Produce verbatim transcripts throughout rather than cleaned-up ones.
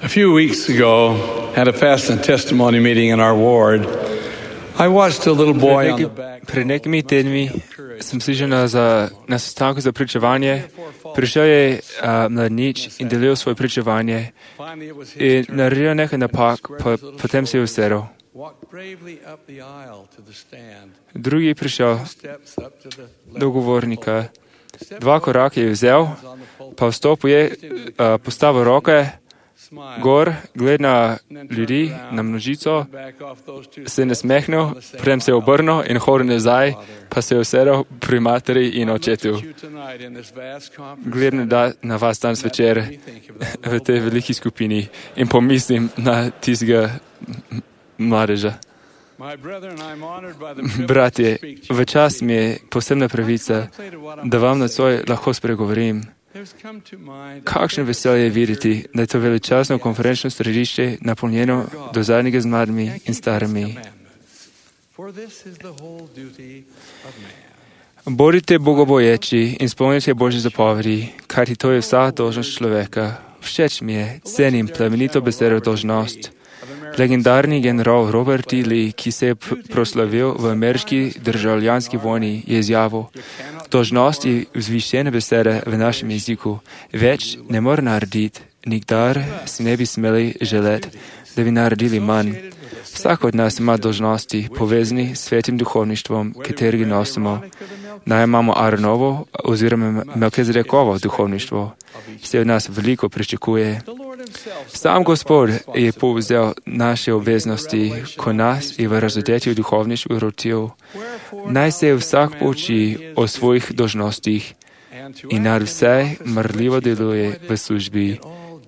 A few weeks ago, at a fast and testimony meeting in our ward, I watched a little boy on the back. Pred nekimi tedni sem slišal na, za, na sestanku za pričevanje. Prišel je uh, mladnič in delil svoje pričevanje in naredil nekaj napak, pa potem se je usedel. Drugi je prišel do govornika. Dva koraka je vzel, pa vstopil je, uh, postavil roke gor, gled na ljudi, na množico, se je nasmehnil, potem se je obrnil in hodil nazaj, pa se je usedel pri materi in očetu. Gledam da na vas danes večer v tej veliki skupini in pomislim na tistega mladeža. Bratje, v čast mi je posebna pravica, da vam nocoj lahko spregovorim. Kakšno veselje je videti, da je to veličastno konferenčno središče napolnjeno do zadnjega z mladimi in starimi. Bodite bogoboječi in spomnite Božje zapovedi, kajti to je vsa dolžnost človeka. Všeč mi je, cenim plemenito besedo dolžnost. Legendarni general Robert E. Lee, ki se je proslavil v ameriški državljanski vojni, je izjavil: dolžnost je vzvišena beseda v našem jeziku. Več ne more narediti, nikdar si ne bi smeli želeti, da bi naredili manj. Vsak od nas ima dolžnosti povezani s svetim duhovništvom, katerega nosimo. Naj imamo Aaronovo oziroma Melkizedekovo duhovništvo. Vse od nas veliko pričakuje. Sam Gospod je povzel naše obveznosti, ko nas je v razodetju duhovništvu rotil. Naj se vsak pouči o svojih dolžnostih in nad vse marljivo deluje v službi,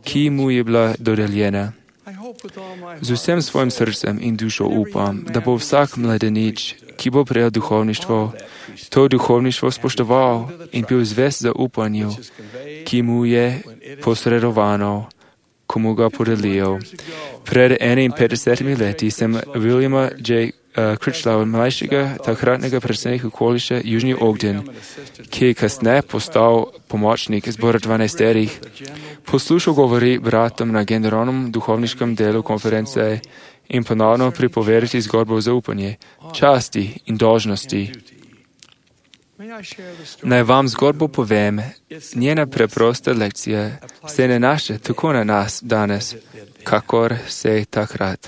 ki mu je bila dodeljena. Z vsem svojim srcem in dušo upam, da bo vsak mladenič, ki bo prejel duhovništvo, to duhovništvo spoštoval in bil zvest za upanju, ki mu je posredovano, komu ga podelijo. Pred enainpetdesetimi leti sem Williama J. Critchlow, mlajšega takratnega predsednika okoliša Južni Ogden, ki je kasneje postal pomočnik zbora dvanajsterih, poslušal govori bratom na generalnem duhovniškem delu konference in ponovno pripovedati zgodbo za upanje, časti in dolžnosti. Naj vam zgodbo povem, njena preprosta lekcija se ne naša tako na nas danes, kakor se je takrat.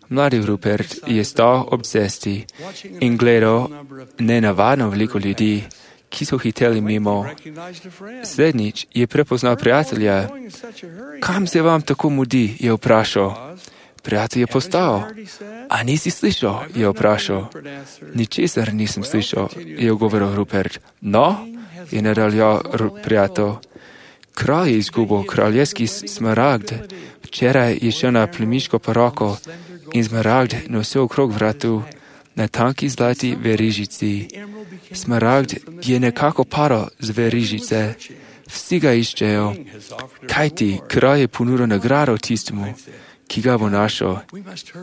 Mladi Rupert je stal ob cesti in gledal nenavadno veliko ljudi, ki so hiteli mimo. Slednjič je prepoznal prijatelja. Kam se vam tako mudi, je vprašal. Prijatelj je postal. A nisi slišal, je vprašal. Ničesar nisem slišal, je govoril Rupert. No, je nadaljeval prijatelj. Kralj je izgubil kraljevski smaragd. Včeraj je šel na plemiško poroko in smaragd nosil okrog vratu na tanki zlati verižici. Smaragd je nekako padal z verižice. Vsi ga iščejo. Kaj ti, kralj je ponudil nagrado tistemu, ki ga bo našel.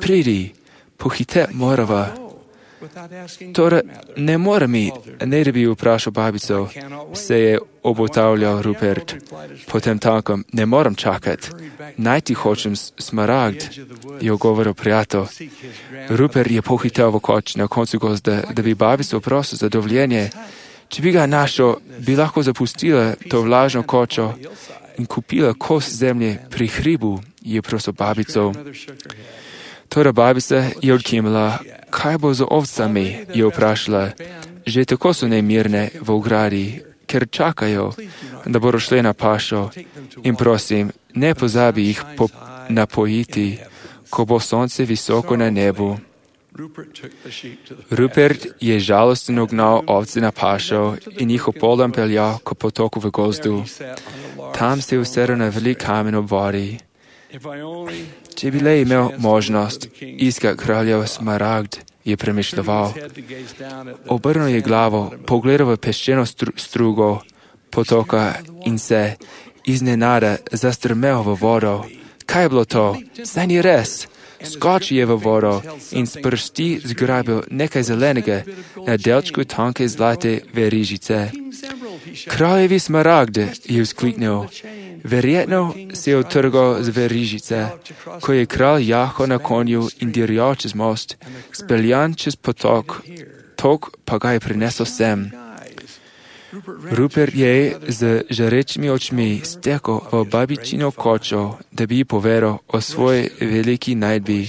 Pridi, pohite morava. Torej, ne more mi, ne da bi vprašal babico, se je obotavljal Rupert. Potem tankom, ne moram čakati. Najti hočem smaragd, je ogovoril prijatelj. Rupert je pohitel v koč na koncu gozda, da bi babico prosil za dovoljenje. Če bi ga našel, bi lahko zapustila to vlažno kočo in kupila kos zemlje pri hribu, je prosil babico. Torej babica je odkimala. Kaj bo z ovcami, je vprašala. Že tako so nemirne v ogradi, ker čakajo, da bodo šle na pašo. In prosim, ne pozabi jih po napojiti, ko bo sonce visoko na nebu. Rupert je žalostno gnal ovce na pašo in jih opoldan peljal k potoku v gozdu. Tam se je usedel na velik kamen ob vodi. Če bi le imel možnost iskati kraljev smaragd, je premišljeval. Obrnil je glavo, pogledal v peščeno stru, strugo potoka in se iznenada zastrmel v vodo. Kaj je bilo to? Saj ni res. Skočil je v vodo in s prsti zgrabil nekaj zelenega na delčku tanke zlate verižice. Kraljevi smaragd, je vzkliknil. Verjetno si je utrgal z verižice, ko je kralj jahal na konju in dirjal čez most, speljan čez potok, tok pa ga je prinesel sem. Rupert je z žarečimi očmi stekel v babičino kočo, da bi ji povedal o svoji veliki najdbi.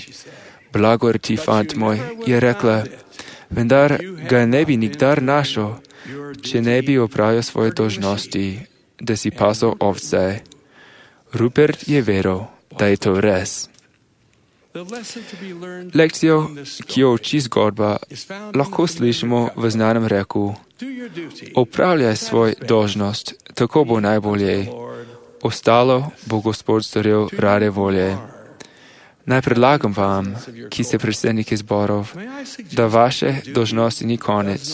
Blagor ti, fant moj, je rekla, vendar ga ne bi nikdar našel, če ne bi opravil svoje dolžnosti, da si pasal ovce. Rupert je veril, da je to res. Lekcijo, ki jo uči zgodba, lahko slišimo v znanem reku: opravljaj svoj dolžnost, tako bo najbolje. Ostalo bo Gospod storil rade volje. Naj predlagam vam, ki ste predsedniki zborov, da vaše dolžnosti ni konec.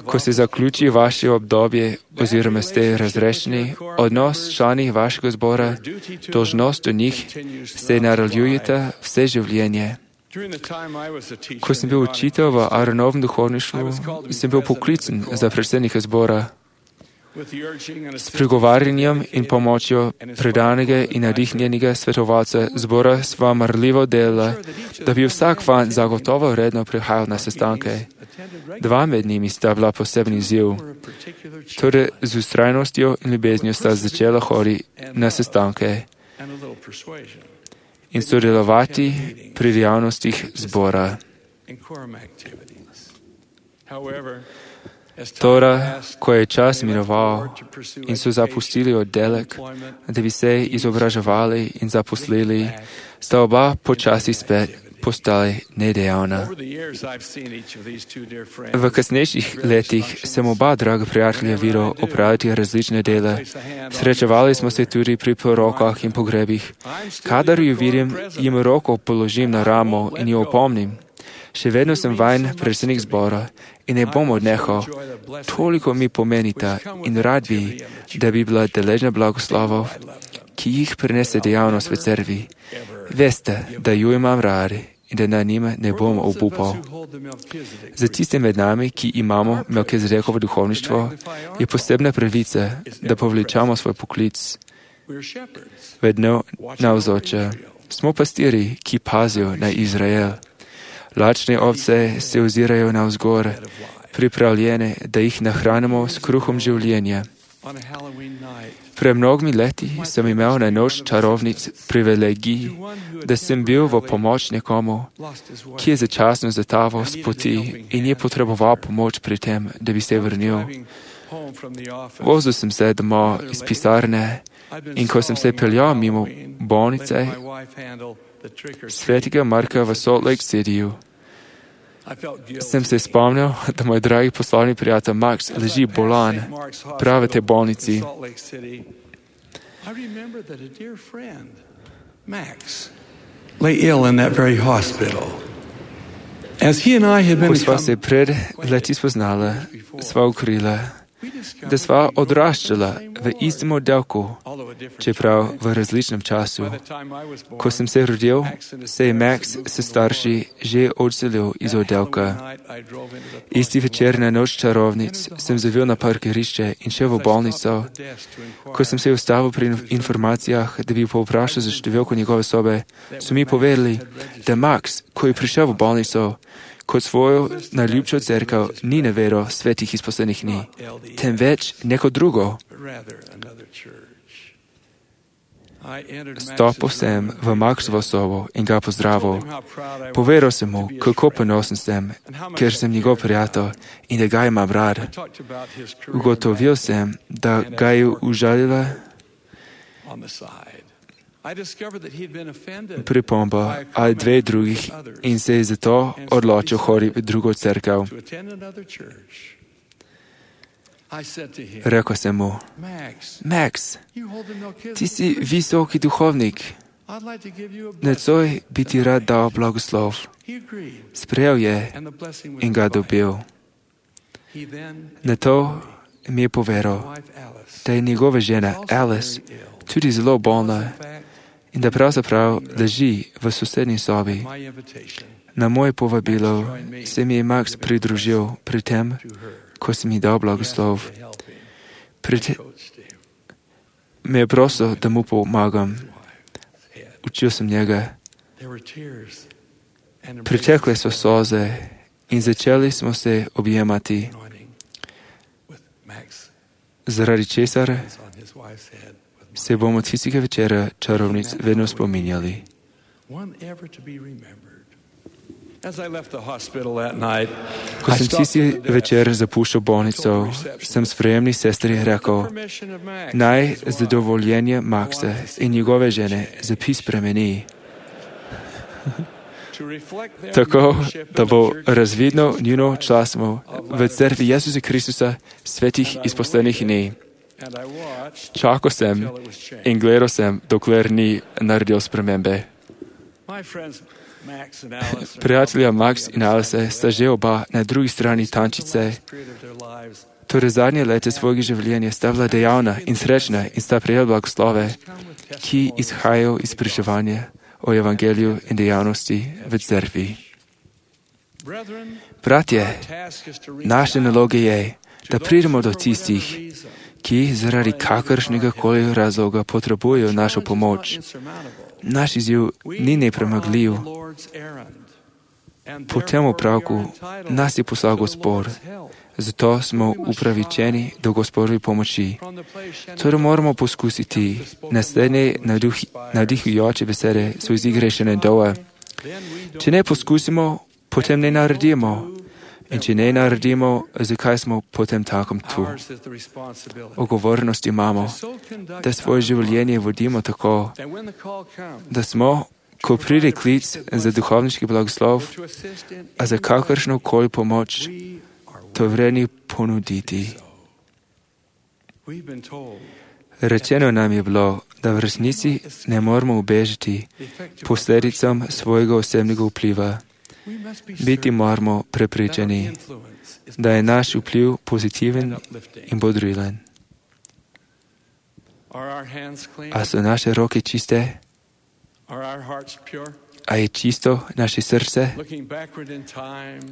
Ko se zaključi vaše obdobje oziroma ste razrešeni, odnos člani vašega zbora, dolžnost do njih, se nadaljujete vse življenje. Ko sem bil učitelj v Aaronovem duhovništvu, sem bil poklican za predsednika zbora. S pregovarjanjem in pomočjo predanega in navdihnjenega svetovalca zbora sva marljivo delala, da bi vsak fant zagotovo redno prihajal na sestanke. Dva med njimi sta bila posebni izziv. Torej, z ustrajnostjo in ljubeznijo sta začela hoditi na sestanke in sodelovati pri dejavnostih zbora. Toda, ko je čas minoval in so zapustili oddelek, da bi se izobraževali in zaposlili, sta oba počasi spet postali nedejavna. V kasnejših letih sem oba draga prijatelja videl opraviti različne dele. Srečevali smo se tudi pri porokah in pogrebih. Kadar ju vidim, jim roko položim na ramo in jo opomnim. Še vedno sem vajen predsednik zbora in ne bom odnehal. Toliko mi pomenita in rad bi, da bi bila deležna blagoslovov, ki jih prinese dejavnost v cerkvi. Veste, da ju imam rad in da na njima ne bom obupal. Za tiste med nami, ki imamo Melkizedekovo duhovništvo, je posebna pravica, da povlečamo svoj poklic vedno navzoče. Smo pastiri, ki pazijo na Izrael. Lačne ovce se ozirajo navzgor, pripravljene, da jih nahranimo s kruhom življenja. Pred mnogimi leti sem imel na noč čarovnic privilegij, da sem bil v pomoč nekomu, ki je začasno zataval s poti in je potreboval pomoč pri tem, da bi se vrnil. Vozil sem se domov iz pisarne in ko sem se peljal mimo bolnice Svetega Marka v Salt Lake Cityju, sem se spomnil, da moj dragi poslovni prijatelj Max leži bolan prav v tej bolnici. Ko sva se pred leti spoznala, sva ukrila, da sva odraščala v istem oddelku, čeprav v različnem času. Ko sem se rodil, se je Max s starši že odselil iz oddelka. Isti večer na noč čarovnic sem zavil na parkirišče in šel v bolnico. Ko sem se ustavil pri informacijah, da bi povprašal za številko njegove sobe, so mi povedali, da Max, ko je prišel v bolnico, kot svojo najljubšo cerkev ni navedel svetih izposlenih dni, temveč neko drugo. Stopil sem v Maxovo sobo in ga pozdravil. Povedal sem mu, kako ponosen sem, ker sem njegov prijatelj in da ga imam rad. Ugotovil sem, da ga je užalila pripomba ali dve drugih in se je zato odločil hoditi v drugo cerkev. Rekel sem mu, Max, ti si visoki duhovnik. Nocoj bi ti rad dal blagoslov. Sprejel je in ga dobil. Na to mi je povedal, da je njegova žena Alice tudi zelo bolna in da pravzaprav leži v sosednji sobi. Na moje povabilo se mi je Max pridružil pri tem, ko si mi dal blagoslov. Pri, te, me je prosil, da mu pomagam. Učil sem njega. Pritekle so solze in začeli smo se objemati, zaradi česar se bomo tistega večera čarovnic vedno spominjali. Ko sem tisti večer zapuščal bolnico, sem sprejemni sestri rekel, naj zadovoljenje Maxa in njegove žene zapis spremeni. Tako, da bo razvidno njuno članstvo v cerkvi Jezusa Kristusa svetih izpostavljenih dni. Čakal sem in gledal sem, dokler ni naredil spremembe. Prijatelja Max in Alice sta že oba na drugi strani tančice. Torej zadnje leta svojega življenja sta bila dejavna in srečna in sta prejela blagoslove, ki izhajajo iz pričevanja o evangeliju in dejavnosti v cerkvi. Bratje, naša naloga je, da pridemo do tistih, ki zaradi kakršnega koli razloga potrebujejo našo pomoč. Naš izziv ni nepremagljiv. Po tem opravku nas je poslal Gospod, zato smo upravičeni do Gospodovi pomoči. Torej moramo poskusiti. Naslednje navdihujoče besede so iz Igrešene Doa. Če ne poskusimo, potem ne naredimo. In če ne naredimo, zakaj smo potem takom tu? Odgovornost imamo, da svoje življenje vodimo tako, da smo, ko pride klic za duhovniški blagoslov, a za kakršno koli pomoč, to vredni ponuditi. Rečeno nam je bilo, da v resnici ne moramo ubežati posledicam svojega osebnega vpliva. Biti moramo prepričani, da je naš vpliv pozitiven in bodrilen. A so naše roke čiste? A je čisto naše srce?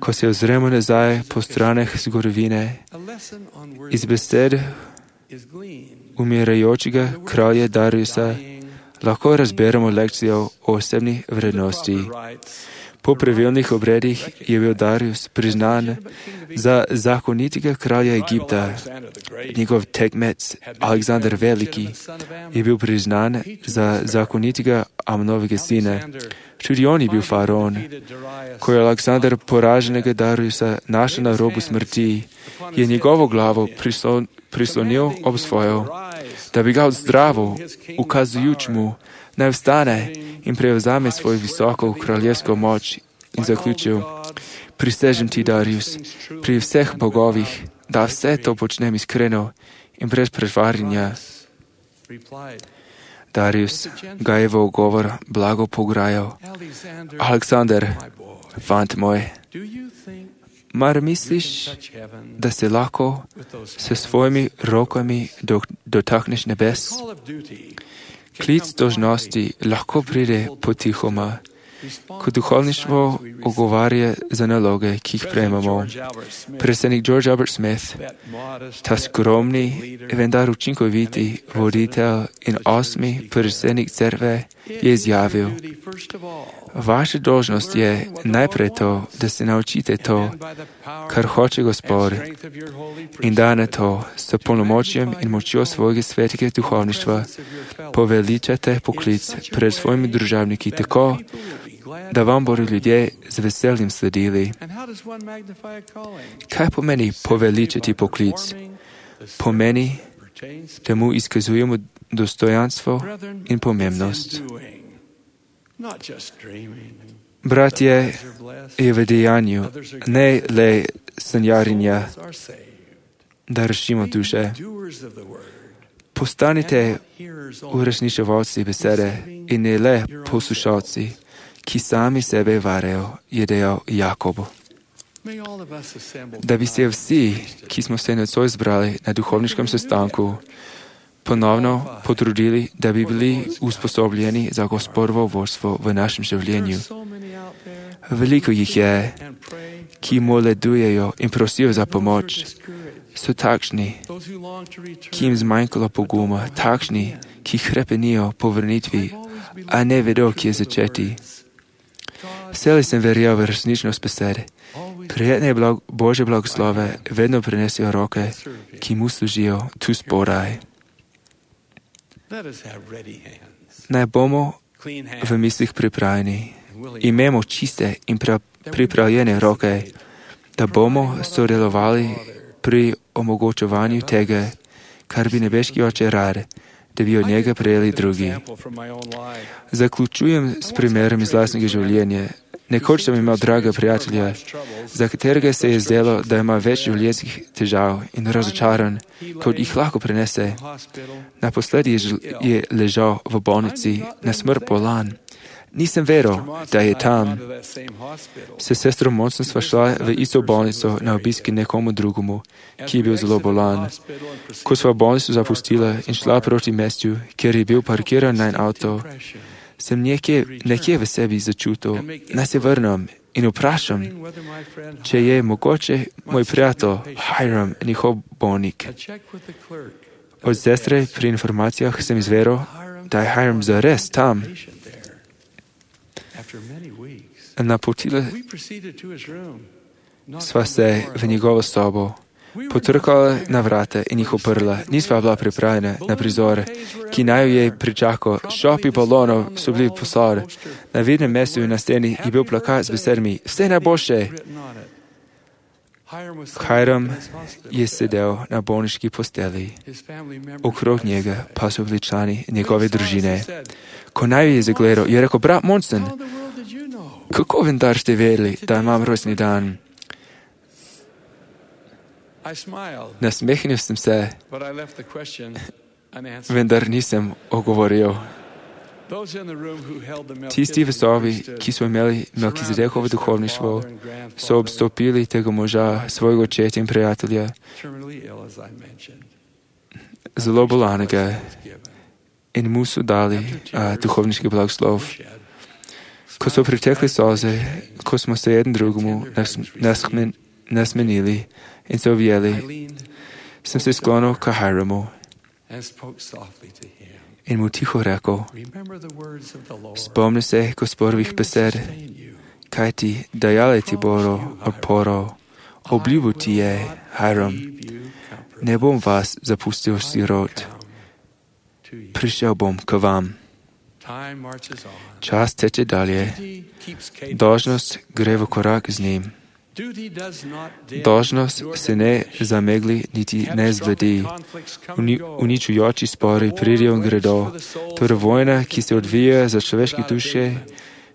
Ko se ozremo nazaj po straneh zgodovine, iz besed umirajočega kralja Dariusa lahko razberemo lekcijo o osebni vrednosti. Po pravilnih obredih je bil Darius priznan za zakonitega kralja Egipta. Njegov tekmec Aleksander Veliki je bil priznan za zakonitega Amnovega sina. Tudi on je bil faraon. Ko je Aleksander poraženega Dariusa našel na robu smrti, je njegovo glavo prislon, prislonil ob svojo, da bi ga ozdravil, ukazujoč mu, naj vstane in prevzame svojo visoko kraljevsko moč in zaključil, prisežem ti, Darius, pri vseh bogovih, da vse to počnem iskreno in brez pretvarjanja. Darius ga je v ogovor blago pograjal. Aleksander, fant moj, mar misliš, da se lahko s svojimi rokami dotakneš nebes? Klic dolžnosti lahko pride potihoma, ko duhovništvo ogovarja za naloge, ki jih prejmemo. Predsednik George Albert Smith, ta skromni, vendar učinkoviti voditelj in osmi predsednik cerkve, je izjavil, vaša dolžnost je najprej to, da se naučite to, kar hoče Gospod, in da na to s polnomočjem in močjo svojega svetega duhovništva poveličate poklic pred svojimi družabniki tako, da vam bodo ljudje z veseljem sledili. Kaj pomeni poveličati poklic? Pomeni, da mu izkazujemo dostojanstvo in pomembnost. Bratje, je v dejanju, ne le sanjarinja, da rešimo duše. Postanite uresničevalci besede in ne le poslušalci, ki sami sebe varejo, je dejal Jakob. Da bi se vsi, ki smo se nocoj zbrali na duhovniškem sestanku, ponovno potrudili, da bi bili usposobljeni za Gospodovo vodstvo v našem življenju. Veliko jih je, ki moledujejo in prosijo za pomoč, so takšni, ki jim zmanjkalo poguma, takšni, ki hrepenijo po vrnitvi, a ne vedo, kje začeti. Vselej sem verjel v resničnost besed. Prijetne blag, Božje blagoslove vedno prinesijo roke, ki mu služijo tu spodaj. Naj bomo v mislih pripravljeni, imemo čiste in pripravljene roke, da bomo sodelovali pri omogočevanju tega, kar bi nebeški Oče rad, da bi od njega prejeli drugi. Zaključujem s primerom iz lastnega življenja. Nekoč sem imel draga prijatelja, za katerega se je zdelo, da ima več življenjskih težav in razočaran, kot jih lahko prenese. Naposledi je ležal v bolnici, na smrt bolan. Nisem veril, da je tam. S sestro Monson sva šla v isto bolnico na obiski nekomu drugemu, ki je bil zelo bolan. Ko sva bolnico zapustila in šla proti mestu, kjer je bil parkiran najn avto, sem nekje, nekje v sebi začutil, naj se vrnem in vprašam, če je mogoče moj prijatelj Hiram njihov bolnik. Od sestre pri informacijah sem izveril, da je Hiram zares tam. Napotila sva se v njegovo sobo, potrkala na vrata in jih oprla. Nisva bila pripravljena na prizor, ki naj jo je pričakal. Šopi balonov so bili posod. Na vidnem mestu na steni je bil plakat z besedami "Vse najboljše". Hiram je sedel na bolniški posteli. Okrog njega pa so bili člani njegove družine. Ko naj je zagledal, je rekel: "Brat Monson, kako vendar ste vedeli, da imam rojstni dan?" Nasmehnil sem se, vendar nisem ogovoril. Tisti v sobi, ki so imeli Melkizedekovo duhovništvo, so obstopili tega moža, svojega očeta in prijatelja, zelo bolanega, in mu so dali a, duhovniški blagoslov. Ko so pritekli solze, ko smo se jeden drugemu nasmen, nasmenili in se objeli, sem se sklonil k Hiramu in mu tiho rekel: "Spomni se Gospodovih besed, kaj ti dajale ti bodo oporo. Obljubil ti je, Hiram, ne bom vas zapustil sirot. Prišel bom k vam." Čas teče dalje. Dolžnost gre v korak z njim. Dolžnost se ne zamegli niti ne zbledi. Uni, uničujoči spori pridijo in gredo. Torej vojna, ki se odvija za človeške duše,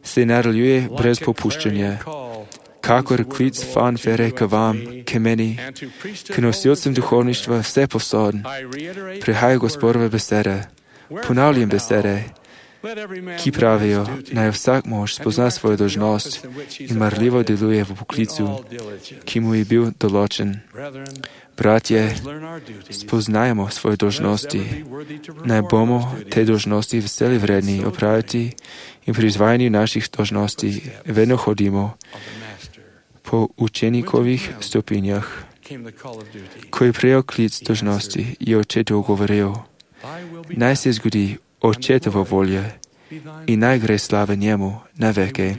se nadaljuje brez popuščanja. Kakor klic fanfare k vam, k meni, k nosilcem duhovništva vse posod, prihaja Gospodove besede. Ponavljam besede, ki pravijo, naj vsak mož spozna svojo dolžnost in marljivo deluje v poklicu, ki mu je bil določen. Bratje, spoznajmo svoje dolžnosti, naj bomo te dolžnosti veseli vredni opraviti in pri izvajanju naših dolžnosti vedno hodimo po učenikovih stopinjah. Ko je prejel klic dolžnosti, je očetu govoril: "Naj se zgodi Očetova volja in naj gre slave njemu na veke,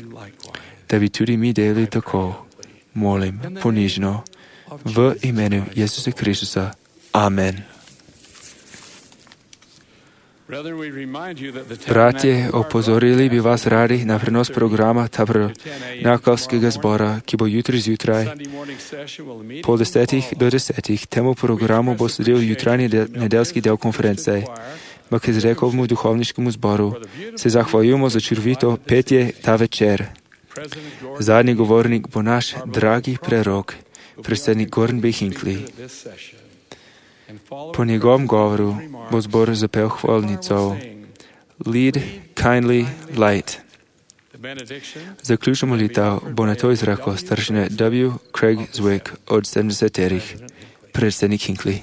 da bi tudi mi delali tako." Molim ponižno v imenu Jezusa Kristusa. Amen. Bratje, opozorili bi vas radi na prenos programa tabernakelskega zbora, ki bo jutri zjutraj po desetih do desetih. Temu programu bo sledil jutranji del, nedeljski del konference. Melkizedekovemu duhovniškemu zboru se zahvaljujemo za čudovito petje ta večer. Zadnji govornik bo naš dragi prerok, predsednik Gordon B. Hinckley. Po njegovem govoru bo zbor zapel hvalnico Lead, Kindly, Light. Zaključno molitev bo na to izrekel staršina W. Craig Zwick od sedemdesetih, predsednik Hinckley.